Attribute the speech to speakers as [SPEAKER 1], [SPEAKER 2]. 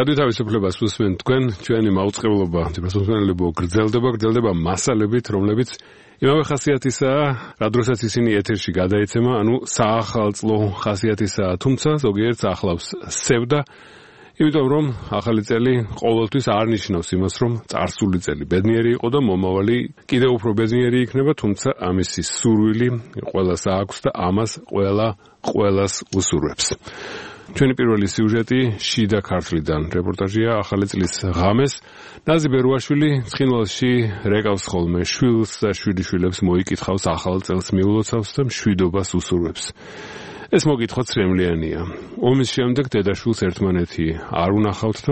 [SPEAKER 1] რადიო თავისუფლებას უსმენთ თქვენ, ჩვენი მაუწყებლობა თვითმსახურებლებო გრძელდება მასალებით, რომლებიც იმავე ხასიათისაა, რა დროსაც ისინი ეთერში გადაეცემა, ანუ საახალწლო ხასიათისაა, თუმცა ზოგიერთს ახლავს სევდა, იმიტომ რომ ახალი წელი ყოველთვის არ ნიშნავს იმას, რომ წარსული წელი ბედნიერი იყო და მომავალი კიდევ უფრო ბედნიერი იქნება, თუმცა ამისი სურვილი ყველას აქვს და ამას ყველას უსურვებს. ჩვენი პირველი სიუჟეტი შიდა ქართლიდან რეპორტაჟია ახალი წლის ღამეს. ნაზი ბერუაშვილი ცხინვალში რეკავს ხოლმე შვილს და შვილიშვილებს მოიკითხავს ახალ წელს მიულოცავს და მშვიდობას უსურვებს. ეს მოგითხვა ცრემლიანია. ომის შემდეგ დედაშვილს ერთმანეთი არ უნახავთ და